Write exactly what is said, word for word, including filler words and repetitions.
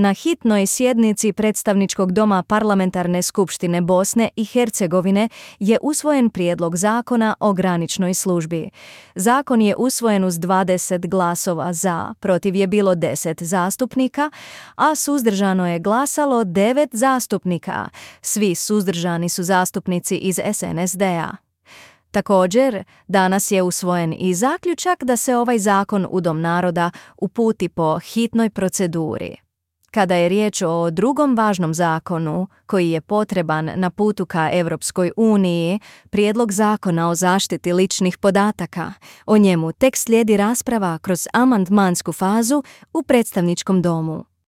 Na hitnoj sjednici Predstavničkog doma Parlamentarne skupštine Bosne i Hercegovine je usvojen prijedlog zakona o graničnoj službi. Zakon je usvojen uz dvadeset glasova za, protiv je bilo deset zastupnika, a suzdržano je glasalo devet zastupnika. Svi suzdržani su zastupnici iz S N S D-a. Također, danas je usvojen i zaključak da se ovaj zakon u Dom naroda uputi po hitnoj proceduri. Kada je riječ o drugom važnom zakonu koji je potreban na putu ka Europskoj uniji, prijedlog zakona o zaštiti ličnih podataka, o njemu tek slijedi rasprava kroz amandmansku fazu u predstavničkom domu.